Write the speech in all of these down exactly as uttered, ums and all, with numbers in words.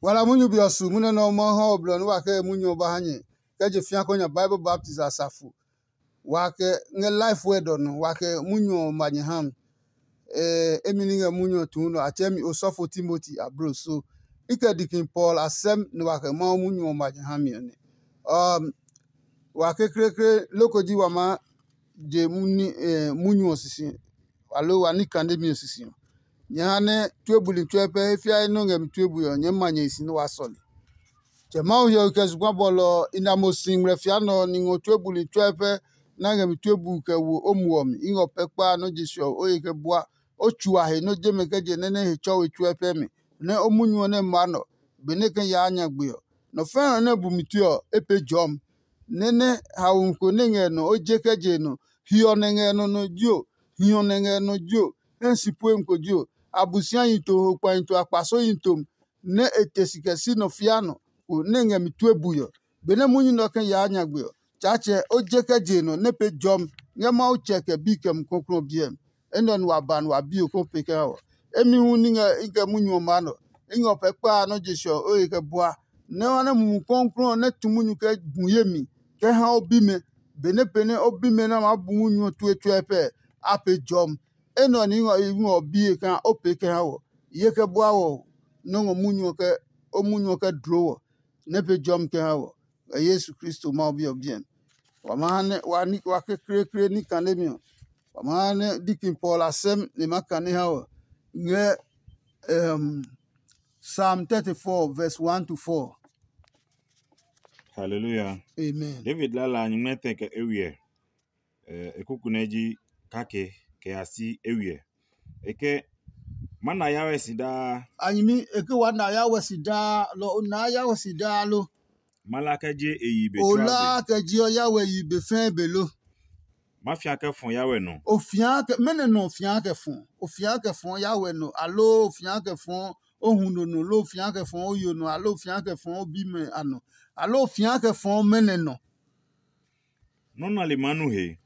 Wala munyu be ɔ su munyu nɛ Mawu ha ɔ blɔ nɛ wa kɛ munyu ɔ ba ha nyɛ kɛ je fĩa kɔ nya Bible baptism asafo. Wa kɛ ngɛ life word ɔ nɔ, wa kɛ munyu ɔ ma nyɛ ha mi. Emi ní ngɛ munyu ɔ tuu nɔ, a tsɛɛ mi osɔfo Timoti ablo so. I kɛ dikin Paul asɛm nɛ wa kɛ Mawu munyu ɔ ma nyɛ ha mi ɔ nɛ. Um, wa kekleekle loko ji wa maa je munyu ɔ sisi, aloo wa ní kandemi ɔ sisi ɔ. Nyɛ ha nɛ tue buli tsuɛ pɛ he fiae nɔ́ ngɛ mi tue bui ɔ, nyɛɛ ma nyɛ hi si nɛ waa sɔle. Tsɛ Mawu hiɔwe kɛ zugba bɔlɔ ɔ, i na mo si ngmlɛfia nɛ ɔ, ni ngɔ tue buli tsuɛ pɛ nɛ a ngɛ mi tue bui kɛ wo o muɔ mi. I ngɔ pɛ kpa nɔ́ je se ɔ, o he kɛ bua, o tsu a he nɔ́ je mɛ kɛ je nɛ nɛ he tsɔwe tsuɛ pɛ mi, nɛ o munyu ɔ nɛ ma nɔ, benɛ e kɛ yaa nyagbe ɔ. Nɔ fɛ̃ nɛ bu mi tue ɔ, e pee jɔmi. Nɛ nɛ haomi ko nɛ ngɛ nɔ o je kɛ je nɔ, hiɔ nɛ ngɛ nɔ nɔ jio, hiɔ nɛ ngɛ nɔ jio, hɛ si puemi ko jio, Abosiayi to, ho kpahi to, akpasoyi tom, nɛ e te si kɛ si nɔ fia nɔ ko nɛ ngɛ mi tue bui ɔ. Benɛ munyu nɛ ɔ kɛ yaa nyagbe ɔ, Tsaatsɛ, o je kɛ je nɔ nɛ pee jɔmi ngɛ Mawu Tsɛ kɛ Bi kɛ Mumi Klɔuklɔu ɔ biɛ mi. Enɛ ɔ nu wa ba nɛ wa bi o kɛ o pee kɛ ha wɔ. Emi hu ní ngɛ i kɛ munyu ɔ maa nɔ. I ngɛ o pɛ kpa a nɔ́ je se ɔ, o he kɛ bua. Nɛ o ha nɛ Mumi Klɔuklɔu ɔ nɛ tu munyu kɛ gu ye mi kɛ ha o bimɛ. Benɛ pee nɛ o bimɛ nɛ a maa bu munyu ɔ tue tsuɛ pɛ, a pee jɔmi. Enɛ ɔ ní ngɔ i ngɔ o biye kaa o pee kɛ ha wɔ. Ye kɛ bua wɔ nɔ́ ngɔ munyu ɔ kɛ o munyu ɔ kɛ dloo wɔ, nɛ pee jɔmi kɛ ha wɔ. Ngɛ Yesu Kristo Mawu Bi ɔ biɛ mi. Wa ma ha nɛ wa ní wa kekleekle ní kanemi ɔ, wa ma ha nɛ dikin Paul a sɛm nɛ ma kane ha wɔ ngɛ um, Psalm thirty-four verse one to four. Hallelujah. Amen. David lala a nyingmɛ tɛ kɛ ewiɛ. E kuku nɛ ji kake kɛ ya si ewiɛ. E ke, ma na Yawe si daa. A nyimi e ke wa na Yawe si daa, lɔ o na Yawe si daa lo? Ma la kɛ je e yi be tsuaa be. Kɛ jiɔ Yawe yi be fɛɛ be lo? Ma fia kɛ fɔ Yawe nɔ. O fia kɛ mɛnɔ nɔ o fia kɛ fɔ? O fia kɛ fɔ Yawe nɔ, aloo o fia kɛ fɔ o huno nɔ, loo o fia kɛ fɔ o yo nɔ, aloo o fia kɛ fɔ o bimɛ a nɔ, aloo o fia kɛ fɔ mɛnɔ nɔ? Nɔ́ nali maa nu he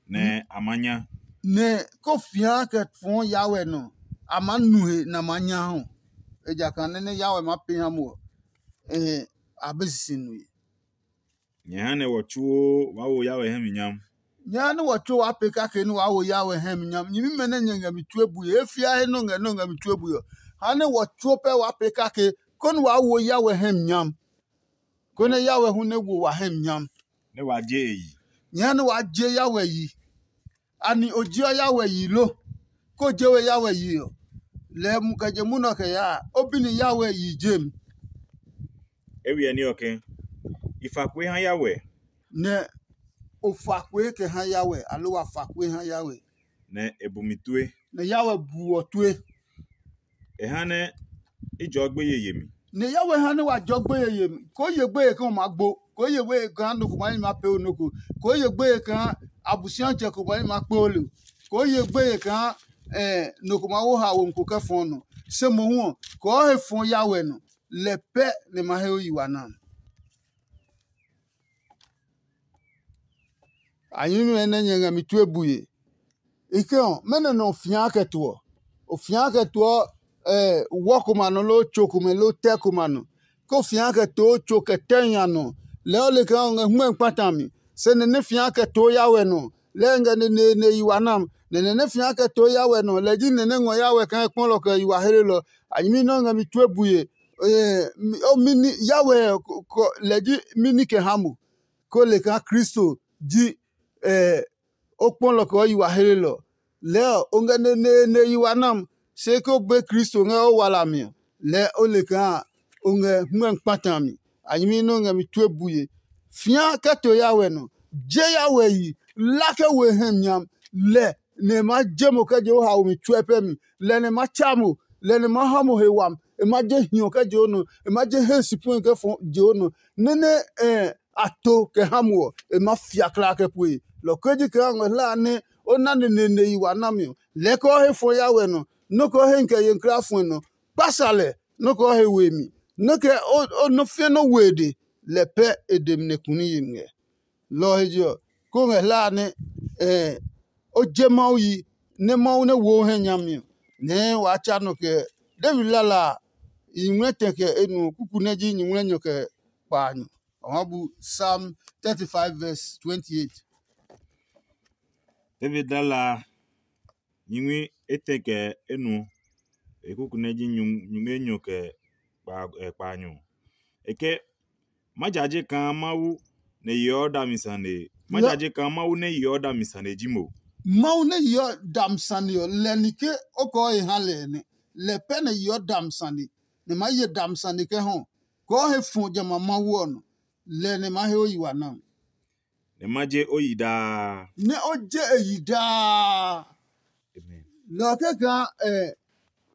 nɛ a maa nya. Nɛ ko fia kɛ fɔ Yawe nɔ, a maa nu he nɛ a maa nya hu. Ejakaa nɛ nɛ Yawe maa pee ha mo ɔ, a be sisi nue. Nyɛ ha nɛ wɔ tsuo waa wo Yawe hɛ mi nyam. Nyɛ ha nɛ wɔ tsuo waa pee kake nɛ waa wo Yawe hɛ mi nyam. Nyɛmimɛ nɛ nyɛ ngɛ mi tue bue, e fia he nɔ ngɛ nɔ ngɛ mi tue bue ɔ, ha nɛ wɔ tsuo pɛ waa pee kake konɛ waa wo Yawe hɛ mi nyam. Konɛ Yawe hu nɛ wo wa hɛ mi nyam. Nɛ wa je e yi. Nyɛ ha nɛ waa je Yawe yi. Ani o jeɔ Yawe yi lo? Ko je we Yawe yi ɔ, lɛɛ mu kɛ je munɔ kɛ yaa, o bi ni Yawe yi jem. E wiɛ ní ɔ ke, i fa kue ha Yawe. Nɛ o fa kue kɛ ha Yawe, aloo wa fa kue ha Yawe. Nɛ e bu mi tue. Nɛ Yawe bu ɔ tue. E ha nɛ i jɔɔ gbeye yemi. Nɛ Yawe ha nɛ wa jɔ gbeye yemi. Koo ye gbeye ke o maa gbo, koo ye gbeye kaa nɔ ko maa yi maa pee o nɔ ko, koo ye gbeye kaa Abosiatsɛ ko maa yi maa kpe o le, koo ye gbeye kaa nɔ ko maa wo ha wo ko kɛ fɔɔ nɔ. Se mohu ɔ, kɔɔ he fɔɔ Yawe nɔ, lɛ pɛ nɛ ma he o yi wa na. A nyɛmimɛ nɛ nyɛ ngɛ mi tue bue. I ke ɔ, mɛnɔ nɛ o fia kɛ tuɔ? O fia kɛ tuɔ wɔ komɛ a nɔ loo tso komɛ loo tɛ komɛ a nɔ. Ke o fia kɛ too tso kɛ tɛ nya nɔ, lɛɛ o le kaa o ngɛ hwɛmi kpata mi. Se nɛ nɛ fia kɛ too Yawe nɔ, lɛɛ ngɛ neneene yi wa nam. Nɛ nɛ nɛ fia kɛ too Yawe nɔ, lɛ ji nɛ nɛ ngɔ Yawe kaa e kpɔlɔ kɛ yi wa helelɔ. A nyɛmi nɛ o ngɛ mi tue bue. Yawe lɛ ji mini kɛ ha mo, ko le kaa Kristo ji o kpɔlɔ kɛ o yi wa helelɔ. Lɛɛ ɔ, o ngɛ neneene yi wa nam, se ke o be Kristo ngɛ o wala mi ɔ, lɛɛ o le kaa o ngɛ hwɛmi kpata mi. A nyɛmi nɛ o ngɛ mi tue bue. Fĩa kɛ to Yawe nɔ, je Yawe yi, la kɛ we hɛ nyam, lɛ nɛ e maa je mo kɛ je o haomi tsuɛ pɛ mi, lɛ nɛ e maa tsa mo, lɛ nɛ e maa ha mo he wami, e maa je hiɔ kɛ je o nɔ, e maa je he si pue kɛ fɔ je o nɔ. Nɛ́ nɛ a to kɛ ha mo ɔ, e maa fia kla kɛ pue. Lɔ ko ji kaa ngɔ hla a nɛ o na neneene yi wa nami ɔ, lɛɛ kɛ o he fɔ Yawe nɔ, nɔ́ kɛ o he kɛ ye kla fɔe nɔ, kpasa lɛ, nɔ́ kɛ o he we mi, nɔ́ kɛ o nɔ́ fiɛ nɔ́ we e de, lɛ pɛ e de mi nɛ kuni yi mi ngɛ. Lɔ ɔ he je ɔ, kó ngɛ hla a nɛ o je Mawu yi, nɛ Mawu nɛ wo o hɛ nyami ɔ, nɛɛ waa tsa nɔ kɛ David lala a, nyuŋmlɛ tɛ kɛ enuɔ, kuku nɛ ji nyuŋmlɛ nyɔ kɛ kpaanyɔ. A ma bu Psalm thirty-five verse twenty-eight. David lala nyingmi etɛ kɛ enuɔ, e kuku nɛ ji nyuŋmɛ enyɔ kɛ kpaanyɔ. E ke, ma jaje kaa Mawu nɛ yeɔ dami sane. Ma jaje kaa Mawu nɛ yeɔ dami sane ji mo. Mawu nɛ yeɔ dami sane ɔ, lɛ ni ke o kɔɔ he ha lɛ nɛ. Lɛ pɛ nɛ yeɔ dami sane, nɛ ma ye dami sane kɛ hɔ. Kɔɔ he fɔ jamɛ a Mawu ɔ nɔ, lɛ nɛ ma he o yi wa na. Nɛ ma je o yi daa. Nɛ o je e yi daa. Amen. Lɔ kɛkaa ɛ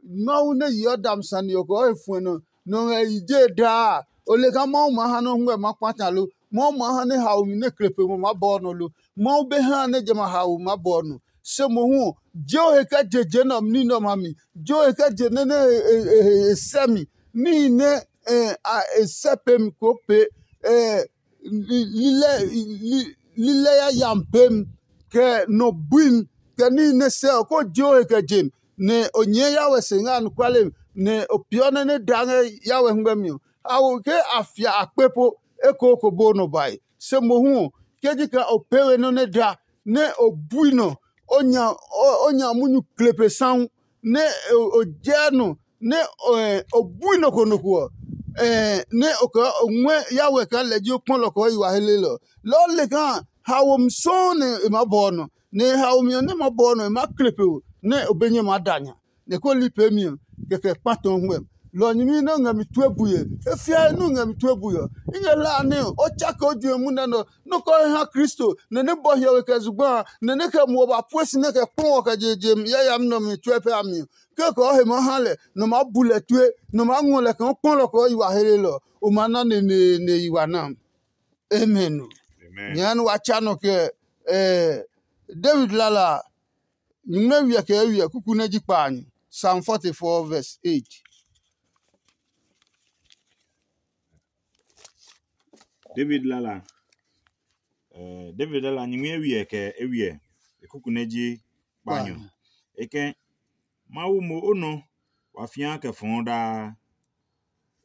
Mawu nɛ yeɔ dam sane ɔ kɔɔ he fuɛ nɔ nɔ ngɛ yi je daa. O le kaa Mawu maa ha nɛ o huɛ ma kpata lo? Mawu maa ha nɛ haomi nɛ kle pe mo maa bɔɔ nɔ lo? Mawu be ha nɛ jamɛ a haomi maa bɔɔ nɔ. Se mohu ɔ, je o he kɛ je je nɛ ɔ ní nɛ ɔmɛ a mi. Je o he kɛ je nɛ nɛ e sɛ mi. Níhi nɛ e sɛ pemi koo pee. Lilɛ yayami peemi, kɛ nɔ buimi, kɛ níhi nɛ sɛ ɔ, koo je o he kɛ je mi, nɛ o nyɛɛ Yahweh se ngɛ anɔkuale mi, nɛ o peeɔ nɛ nɛ daa ngɛ Yahweh hɛngmɛmi ɔ. A wo ke a fia a kpe po ekooko bo nɔ bae. Se mohu ɔ, ke ji kaa o pee we nɔ́ nɛ da, nɛ o bui nɔ, o nya munyu kle pe sahu, nɛ o jɛɛ nɔ, nɛ o bui nɔ ko nɔ ko ɔ, nɛ o kɛ o ngɔɛ Yahweh kaa lɛ ji o kpɔlɔ kɛ o yi wa helelɔ. Lɔ ɔ le kaa haomi sɔuu nɛ e maa bɔ ɔ nɔ, nɛ haomi ɔ nɛ maa bɔ ɔ nɔ e maa kle pe o, nɛ o be nyɛ maa da nya. Nɛ ko li peemi ɔ, kɛkɛ kpa tɔ ngmɛm. Lɔ ɔ nyɛmi nɛ o ngɛ mi tue bue, e fiae nɛ o ngɛ mi tue bue ɔ, i ngɛ hlaa nɛ o tsake o juɛ munɛ nɛ ɔ, nɔ́ ko he ha Kristo, nɛ nɛ bɔ hiɔwe kɛ zugba a, nɛ nɛ kɛ muɔ ba pue si nɛ kɛ kpɔ ɔ kɛ je je yayami nɛ ɔmɛ tsuɛ pɛ a mi ɔ, kekɔ he maa ha lɛ, nɔ maa bu lɛ tue, nɔ maa ngɔ lɛ kaa kpɔlɔ kɛ o yi wa helelɔ, o maa na neneene yi wa na. Amen. Nyɛɛ nɛ wa tsa nɔ kɛ David lala a, nyumu nɛ wiɛ kɛ eywiɛ kuku nɛ ji kpaanyɔ. Psalm forty-four verse eight. David lala, eh, David lala nyingmi eywiɛ kɛ eywiɛ, e kuku nɛ ji kpaanyɔ. E kɛ, Mawu mo o nɔ wa fia kɛ fɔɔ daa.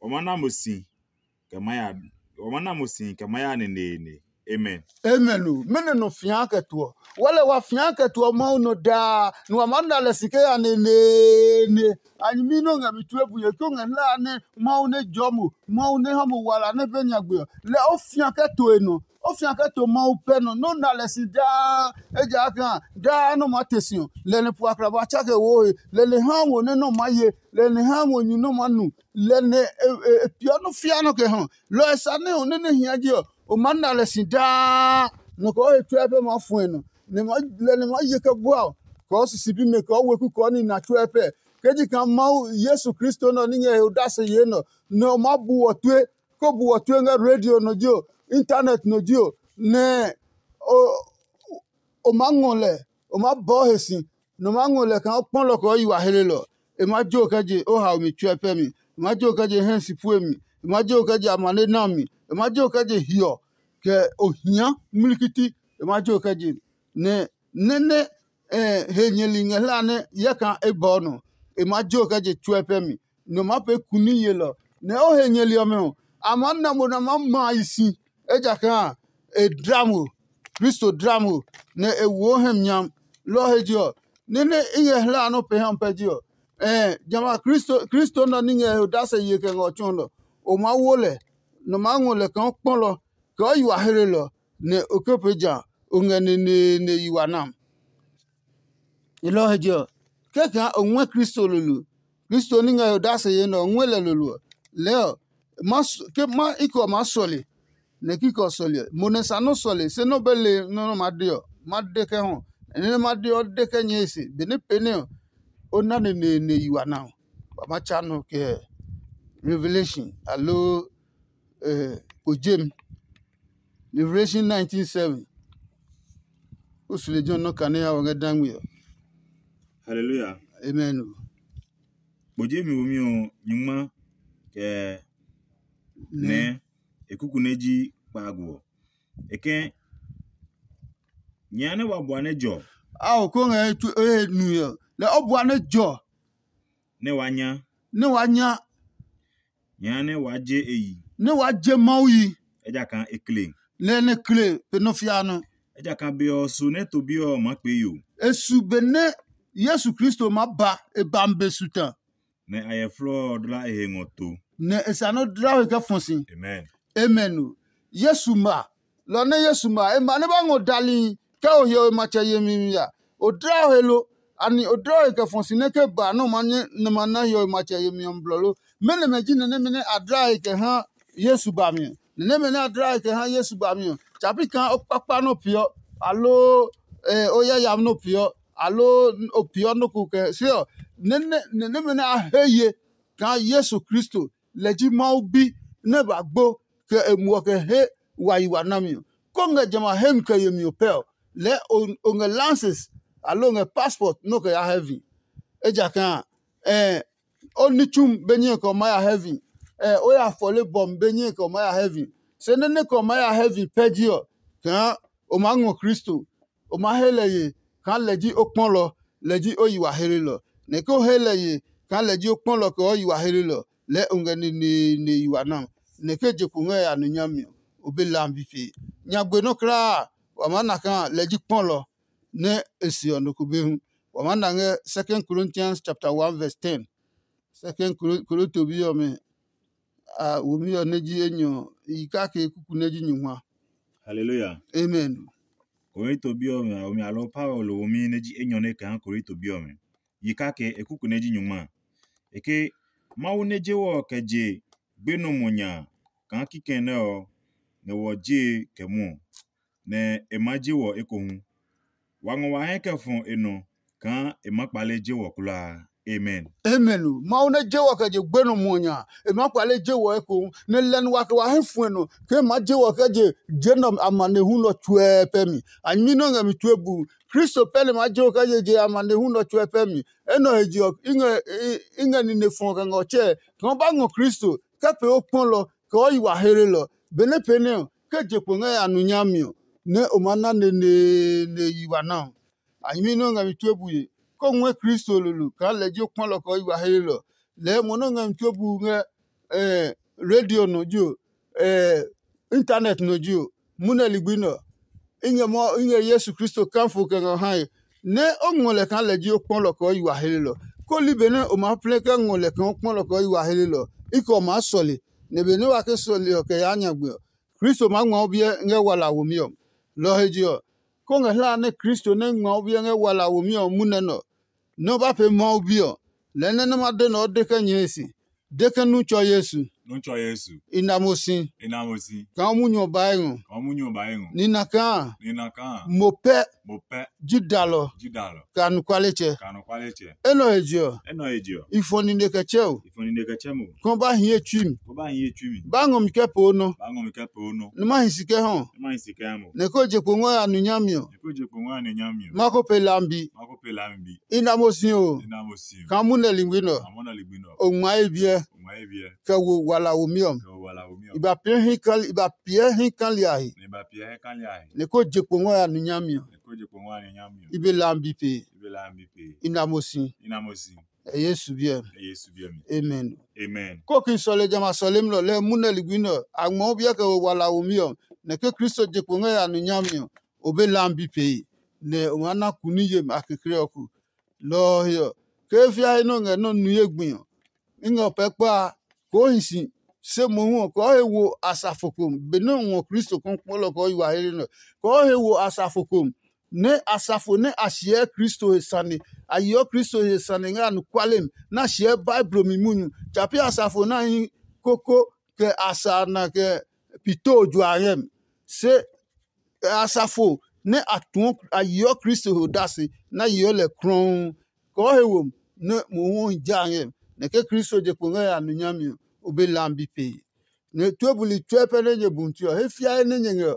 Wa ma na mo si kɛ ma ya wa ma na mo si kɛ ma ya neneene. Amen. Amen o. Mɛnɔ nɔ fia kɛ tuɔ? Wale wa fia kɛ tuɔ Mawu nɔ daa, nɛ wa maa na lɛ si kɛ ya neneene. A nyɛmi nɛ o ngɛ mi tue bue ke o ngɛ hlaa nɛ Mawu nɛ jɔɔ mo, Mawu nɛ ha mo wala nɛ be nyagbe ɔ, lɛ o fia kɛ to e nɔ. O fia kɛ to Mawu pɛ nɔ, nɛ o na lɛ si daa. Ejakaa daa nɛ o maa te si ɔ, lɛ nɛ po akraba tsa kɛ wo he, lɛ nɛ ha wo nɛ nɔ maa ye, lɛ nɛ ha wo nyu nɛ o maa nu, lɛ nɛ e piɔ nɔ́ fia nɔ kɛ ha. Lɔ ɔ sa nɛ o nɛ nɛ hia je ɔ, o maa na lɛ si daa. Nɔ kɛ o he tsuɛ pɛ maa fuɛ nɔ, lɛ nɛ maa ye kɛ bua ɔ, kɛ o sisi bimɛ kɛ o weku kɛ o nina tsuɛ pɛ. Ke ji kaa Mawu Yesu Kristo nɛ ɔ ní ngɛ he odase yee nɛ ɔ, nɛ o maa bu wɔ tue, ko bu wɔ tue ngɛ radio nɔ ji o, internet nɔ ji o, nɛ o o maa ngɔ lɛ, o maa bɔɔ he si, nɛ o maa ngɔ lɛ kaa o kpɔlɔ kɛ o yi wa helelɔ. E maa jo kɛ je o haomi tsuɛ pɛ mi, e maa jo kɛ je hɛ si pue mi, e maa jo kɛ je amane na mi, e maa jo kɛ je hiɔ, kɛ ohia mlikiti, e maa jo kɛ je. Nɛ nɛ́ nɛ he nyɛli ngɛ hla nɛ yɛ kaa e bɔɔ nɔ, e maa jo kɛ je tsuɛ pɛ mi, nɔ maa pee kuni yelɔ, nɛ o he nyɛli ɔmɛ ɔ, a maa na mo nɛ a maa ma a yi si, ejakaa e dla mo, Kristo dla mo, nɛ e wo o hɛ mi nyam. Lɔ ɔ he je ɔ, nɛ́ nɛ i ngɛ hla a nɔ́ pɛ ha pɛ je ɔ, ɛɛ jamɛ a Kristo Kristo nɛ ɔ ní ngɛ he odase ye kɛ ngɛ ɔ tsɔɔlɔ. O maa wo lɛ, nɔ maa ngɔ lɛ kaa o kpɔlɔ, kɛ o yi wa hlelɔ, nɛ o ke pee ja o ngɛ neneene yi wa nam. E lɔ ɔ he je ɔ, kɛkaa o ngɔɛ Kristo lolo, Kristo ní ngɛ he odase yee nɛ ɔ ngɔɛ lɛ lolo ɔ, lɛɛ ɔ, ma ke ma ikɛ ɔ maa sɔle, nɛ kikɛ ɔ sɔle ɔ, mo nɛ sa nɔ́ sɔle, se nɔ́ be le nɔ́ nɛ ma de ɔ, ma de kɛ hɔ. Nɛ nɛ ma de ɔ, de kɛ nyɛe se, benɛ pee nɛ ɔ, o na neneene yi wa na ɔ, wa ma tsa nɔ kɛ Revelation aloo kpo jem. Revelation nineteen seven. O su lejɛ ɔ nɔ kane ya wɔ ngɛ dangmi ɔ. Hallelujah. Amen o. Kpo jemi womi ɔ nyuma kɛ nɛ e kuku nɛ ji kpaagu ɔ. E kɛ nyɛ nɛ wa bua nɛ jɔ. Ao ko ngɛ e nu ɔ lɛ o bua nɛ jɔ. Nɛ wa nya. Nɛ wa nya. Nyɛɛ nɛ waa je e yi. Nɛ waa je Mawu yi. Ejakaa e kle. Nɛ nɛ kle pe nɔ fia nɔ. Ejakaa be ɔ su nɛ to bi ɔ maa kpee yo. E su benɛ Yesu Kristo maa ba e ba mi be su ta. Nɛ a yɛ flɔɔ ɔ dla e he ngɔ to. Nɛ e sa nɔ dla he kɛ fɔ si. Amen. Amen o. Yesu ma, lɔ nɛ Yesu ma, e ma nɛ ba ngɔ dali kɛ o hiɔwe matsɛ yemi mi ya. O dla o he lo? Ani o dla o he kɛ fɔ si nɛ ke ba nɛ o ma nyɛ nɛ ma na hiɔwe matsɛ yemi ɔ mi blɔ lo? Mɛnɔ mɛ ji nɛ nɛmɛ nɛ a dla he kɛ ha Yesu ba mi ɔ? Nɛ nɛmɛ nɛ a dla he kɛ ha Yesu ba mi ɔ, tsapi kaa o kpakpa nɔ peeɔ, aloo o yayami nɔ peeɔ, aloo o peeɔ nɔ ko kɛ se ɔ, nɛ nɛmɛ nɛ a he ye kaa Yesu Kristo lɛ ji Mawu Bi nɛ ba gbo kɛ e muɔ kɛ he wa yi wa nami ɔ. Ko ngɛ jamɛ a hemi kɛ yemi ɔ pɛ ɔ, lɛɛ o ngɛ lances aloo o ngɛ passport nɛ o kɛ ya heaven. Ejakaa o ní tsumi be nyɛe kɛ o maa ya heaven, o ya fɔle bɔmi be nyɛe kɛ o maa ya heaven. Se nɛ nɛ kɛ o maa ya heaven pɛ ji ɔ, kaa o maa ngɔ Kristo, o maa he lɛ ye kaa lɛ ji o kpɔlɔ, lɛ ji o yi wa helelɔ. Nɛ ke o he lɛ ye kaa lɛ ji o kpɔlɔ kɛ o yi wa helelɔ, lɛɛ o ngɛ neneene yi wa na. Nɛ ke je kpo ngɛ ya nɔ nyami ɔ, o be lambi pee. Nyagbe nɔ́ kulaa a, wa maa na kaa lɛ ji kpɔlɔ nɛ e se ɔ nɔ ko be hu. Wa maa na ngɛ Second Corinthians chapter one verse ten. Second Korinto bi ɔmɛ a womi ɔ nɛ ji enyɔ ɔ, i kake kuku nɛ ji nyungma. Hallelujah. Amen. Korinto bi ɔmɛ a womi alɔ Paulo womi nɛ ji enyɔ nɛ kɛ ha Korinto bi ɔmɛ. Yi kake e kuku nɛ ji nyungma. E ke Mawu nɛ je wɔ kɛ je gbenɔ mo nya kaa kikɛ nɛ ɔ ngɛ wɔ jee kɛ mwɔɔ, nɛ e maa je wɔ ekohu. Wa ngɔ wa hɛ kɛ fɔ e nɔ kaa e maa kpale je wɔ kulaa. Amen. Amen o. Mawu nɛ je wɔ kɛ je gbenɔ muɔ nya, e maa kpale je wɔ ekohu, nɛ lɛ nɛ wa kɛ wa hɛ fuɛ nɔ ke e maa je wɔ kɛ je je nɛ amanehlu nɛ ɔ tsuɛ pɛ mi. A nyɛmi nɛ o ngɛ mi tue bu. Kristo pɛ nɛ maa je wɔ kɛ je je amanehlu nɛ ɔ tsuɛ pɛ mi. Enɛ ɔ he je ɔ, i ngɛ i ngɛ nine fɔ kɛ ngɛ ɔ tsɛɛ kaa o ba ngɔ Kristo kɛ pee o kpɔlɔ kɛ o yi wa helelɔ. Benɛ pee nɛ ɔ, ke je kpo ngɛ ya nu nyami ɔ, nɛ o maa na neneene yi wa na ɔ. A nyɛmi nɛ o ngɛ mi tue bue, kó o ngɔɛ Kristo lolo kaa lɛ ji o kpɔlɔ kɛ o yi wa helelɔ. Lɛɛ mo nɛ o ngɛ mi tue bu ngɛ radio nɔ ji o, internet nɔ ji o, munɛ ligbi nɛ ɔ, i ngɛ mɔ i ngɛ Yesu Kristo kafo kɛ ngɛ o hae, nɛ o ngɔ lɛ kaa lɛ ji o kpɔlɔ kɛ o yi wa helelɔ. Kó li benɛ o maa plɛ kɛ ngɔ lɛ kaa o kpɔlɔ kɛ o yi wa helelɔ, i kɛ o maa sɔle, nɛ benɛ wa ke sɔle ɔ kɛ yaa nyagbe ɔ, Kristo maa ngma o biɛ ngɛ wala womi ɔ. Lɔ ɔ he je ɔ, kó ngɛ hlaa nɛ Kristo nɛ ngma o biɛ ngɛ wala womi ɔ munɛ nɛ ɔ, nɛ o ba pee Mawu Bi ɔ, lɛɛ nɛ nɛ ma de nɛ o de kɛ nyɛe se, de ke nu tsɔ Yesu. Nu tsɔ Yesu. I na mo si. I na mo si. Kaa o munyu ɔ ba ngɔ. Kaa o munyu ɔ ba ngɔ. Nina kaa. Nina kaa. Mo pɛ. Mo pɛ. Ji dalɔ. Ji dalɔ. Kɛ anɔkualetsɛ. Kɛ anɔkualetsɛ. Enɛ ɔ he je ɔ. Enɛ ɔ he je ɔ. I fɔ nine kɛ tsɛ o. I fɔ nine kɛ tsɛ mo. Kɛ o ba hie tsui mi. Kɛ o ba hie tsui mi. Ba ngɔ mi kɛ poo nɔ. Ba ngɔ mi kɛ poo nɔ. Nɛ ma hi si kɛ hɔ. Nɛ ma hi si kɛ ha mo. Nɛ ko je kpo ngɔ ya nu nyami ɔ. Nɛ ko je kpo ngɔ ya nu nyami ɔ. Ma ko pe lambi. Ma ko pe lambi. I na mo si o. I na mo si o. Kaa munɛ ligbi nɔ. Kaa munɛ ligbi nɔ. O ngma ye biɛ. O ngma ye biɛ. Kɛ wo wala womi ɔ. Kɛ wo wala womi ɔ. I ba piɛ hi kali, i ba piɛ hi kali a he. Nɛ i ba piɛ hi kali a he. Nɛ ko je kpo ngɔ ya nu nyami ɔ. Nɛ ko je kpo ngɔ ya nu nyami ɔ. I be lambi pe. I be lambi pe. I na mo si. I na mo si. Ɛ Yesu biɛ. Ɛ Yesu biɛ mi. Amen. Amen. Ko ki sɔle jamɛ a sɔlemi nɔ lɛ munɛ ligbi nɔ a ngmɔ biɛ kɛ wo wala womi ɔ, nɛ ke Kristo je kpo ngɛ ya nu nyami ɔ, o be lambi pee, nɛ o maa na kuni yemi a kekle ɔ ko. Lɔ ɔ he ɔ, ke fia he nɔ ngɛ nɔ́ nu ye gbi ɔ, i ngɛ o pɛ kpa a, koo hi si. Se mohu ɔ, kɔɔ he wo asafo ko benɛ o ngɔ Kristo kɔkpɔlɔ kɔɔ yi wa he nɔ. Kɔɔ he wo asafo ko nɛ asafo nɛ a siɛ Kristo he sane, a yeɔ Kristo he sane ngɛ anɔkuale mi, nɛ a siɛ Baiblo mi munyu. Tsa pi asafo nɛ a hi koko kɛ a sa na kɛ pito jua ngɛ mi. Se asafo nɛ a tuɔ a yeɔ Kristo he odase nɛ a yeɔ lɛ krɔuu. Kɔɔ he wo mi nɛ mohu ɔ hi ja ngɛ mi, nɛ ke Kristo je kpo ngɛ ya nu nyami ɔ, o be lambi pee. Nɛ tue buli tsuɛ pɛ nɛ nyɛ bu ti ɔ, he fiae nɛ nyɛ ngɛ ɔ,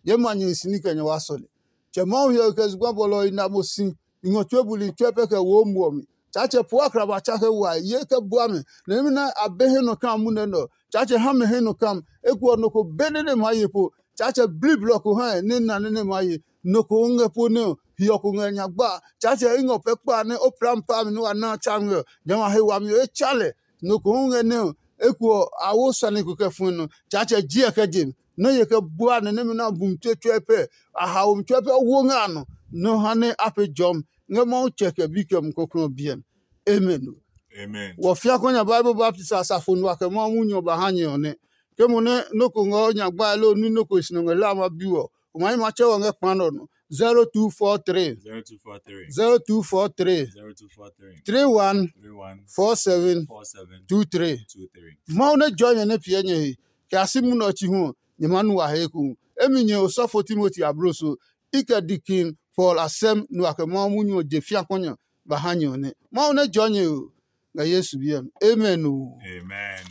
nyɛɛ ma nyɛ hi si ní kɛ nyɛ wa sɔle. Tsɛ Mawu hiɔwe kɛ zugba bɔlɔ ɔ i na mo si, i ngɔ tue buli tsuɛ pɛ kɛ wo muɔ mi. Tsaatsɛ po akraba tsa kɛ wa ye kɛ bua mɛ, nɛ imi nɛ a be he nɔ kam munɛ nɛ ɔ, Tsaatsɛ ha mɛ he nɔ kam. Eko ɔ, nɔ ko be nɛ nɛ maa ye po. Tsaatsɛ bli blɔ ko ha nɛ na nɛ nɛ maa ye. Nɔ ko hu ngɛ po nɛ ɔ, hiɔ ko ngɛ nya gba. Tsaatsɛ i ngɔ pɛ kpa nɛ o plam pa mi nɛ wa na tsa ngɛ ɔ, jamɛ a he wami ɔ e tsa lɛ. Nɔ ko hu ngɛ nɛ ɔ, Eko ɔ, a wo sane ko kɛ fue nɔ. Tsaatsɛ jiɛ kɛ je mi. Nɔ́ ye kɛ bua nɛ nɛmɛ nɛ a bu mi tsuɛtsuɛ pɛ, a haomi tsuɛ pɛ wo ngɛ a nɔ. Nɔ́ ha nɛ a pee jɔmi ngɛ Mawu tsɛ kɛ bi kɛ Mumi Kɔklɔ ɔ biɛ mi. Amen. Amen. Wɔ fia kɔ nya Bible baptist asafo nu a kɛ Mawu munyu ɔ ba ha nyɛ ɔ nɛ. Ke mo nɛ nɔ́ ko ngɛ ɔ nya gbae loo nui nɔ́ ko e si nɔ ngɛ la ma bi ɔ, o ma yi matsɛ wɔ ngɛ kpa nɔ nɔ. zero two four three zero two four three zero two four three zero two four three three one three one four seven four seven two three. Two three. Mawu nɛ jɔ nyɛ nɛ piɛ nyɛ he, kɛ a si munɛ ɔ chi hu ɔ, nyɛ ma nu wa he ekohu. Emi nyɛ osɔfo Timoti abloso, i kɛ dikin Paul asɛm nu a kɛ Mawu munyu ɔ je fia kɔnya ba ha nyɛ ɔ nɛ. Mawu nɛ jɔ nyɛ o, ngɛ Yesu biɛ mi. Amen o. Amen.